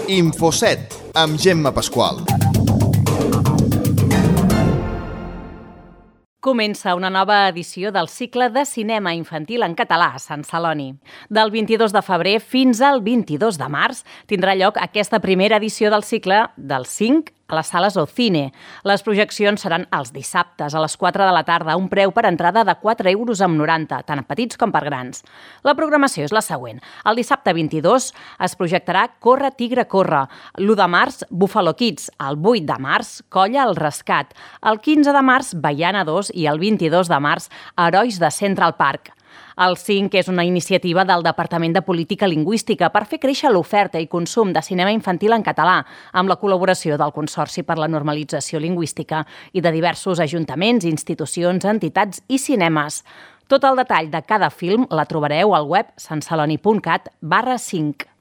Infoset, amb Gemma Pasqual. Comença una nova edició del cicle de cinema infantil en català a Sant Celoni. Del 22 de febrer fins al 22 de març tindrà lloc aquesta primera edició del cicle del 5 a les sales Ocine. Les projeccions seran els dissabtes a les 4 de la tarda, a un preu per entrada de 4,90 €, tant a petits com per grans. La programació és la següent. El dissabte 22 es projectarà Corre, tigre, corre. L'1 de març, Buffalo Kids. El 8 de març, Colla al rescat. El 15 de març, Baiana 2 i el 22 de març, Herois de Central Park. El 5 és una iniciativa del Departament de Política Lingüística per fer créixer l'oferta i consum de cinema infantil en català, amb la col·laboració del Consorci per la Normalització Lingüística i de diversos ajuntaments, institucions, entitats i cinemes. Tot el detall de cada film la trobareu al web santceloni.cat/5.